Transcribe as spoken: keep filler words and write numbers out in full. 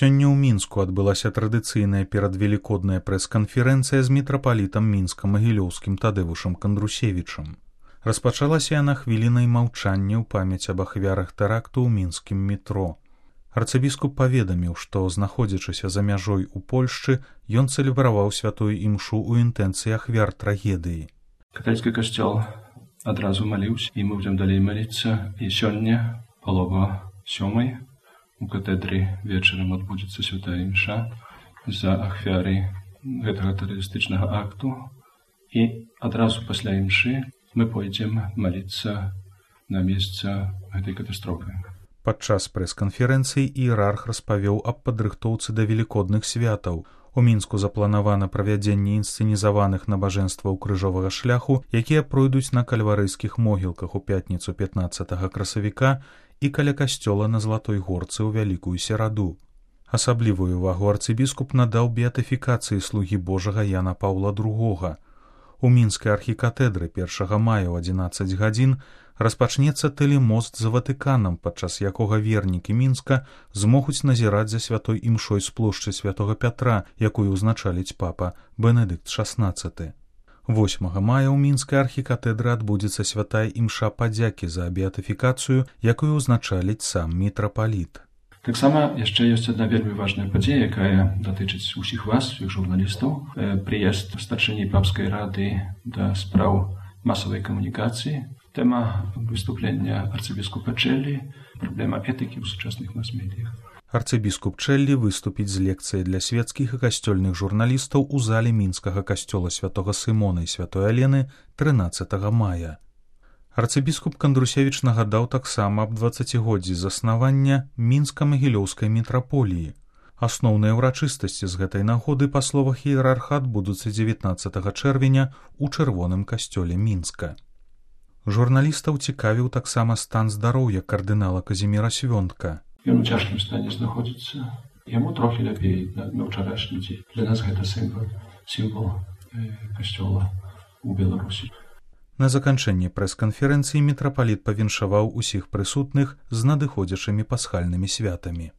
Сёння ў Мінску адбылася традыцыйная перадвелікодная прэс-канферэнцыя з мітрапалітам мінска-магілёўскім Тадэвушам Кандрусевічам. Распачалася яна хвілінай маўчання ў памяць аб ахвярах тэракту ў мінскім метро. Арцыбіскуп паведаміў, што, знаходзячыся за мяжой у Польшчы, ён цэлебраваў святую імшу ў інтэнцыі ахвяр трагедыі. Каталіцкі касцёл адразу маліўся, і мы будзем далей маліцца. І сёння, палова сёмай, у катедры вечарам адбудзецца святая імша за ахвяры гэтага тэрарыстычнага акту. І адразу пасля імшы мы пойдзем маліцца на месца гэтай катастрофы. Падчас прэс-канферэнцыі іерарх распавёў аб падрыхтоўцы да велікодных святаў. У Мінску запланавана правядзенне інсцэнізаваных набажэнстваў крыжовага шляху, якія пройдуць на кальварыйскіх могілках у пятніцу пятнаццатага красавіка і каля касцёла на Златой горцы ў Вялікую сераду. Асаблівую увагу арцыбіскуп надаў беатыфікацыі слугі Божага Яна Паўла другога. У мінскай архікатэдры першага мая ў адзінаццаць гадзін распачнецца тэлемост за Ватыканам, падчас якога вернікі Мінска змогуць назіраць за святой імшой з плошчы святога Пятра, якую ўзначаліць папа Бенедыкт шаснаццаты. восьмага мая ў мінскай архікатэдры адбудзецца святая імша падзякі за беатыфікацыю, якую ўзначаліць сам мітрапаліт. Таксама яшчэ ёсць адна вельмі важная падзея, якая датычыць усіх вас, усіх журналістаў. Прыезд старшыні папскай рады да спраў масавай камунікацыі. Тэма выступлення арцыбіскупа Чэллі, праблема этыкі ў сучасных мас-медыях. Арцыбіскуп Чэллі выступіць з лекцыяй для свецкіх і касцёльных журналістаў у зале мінскага касцёла святога Сымона і святой Алены трынаццатага мая. Арцыбіскуп Кандрусевіч нагадаў таксама аб дваццацігоддзі заснавання мінска-магілёўскай мітраполіі. Асноўныя ўрачыстасці з гэтай нагоды, па словах іерарха, адбудуцца дзевятнаццатага чэрвеня ў чырвоным касцёле Мінска. Журналістаў цікавіў таксама стан здароўя кардынала Казіміра Свёнтка. Ён у цяжкім стане знаходзіцца. Яму трохі лепей на ўчарашні дзень. Для нас гэта сімвал, сімвал касцёла ў Беларусі. На заканчэнні прэс-канферэнцыі мітрапаліт павіншаваў усіх прысутных з надыходзячымі пасхальнымі святамі.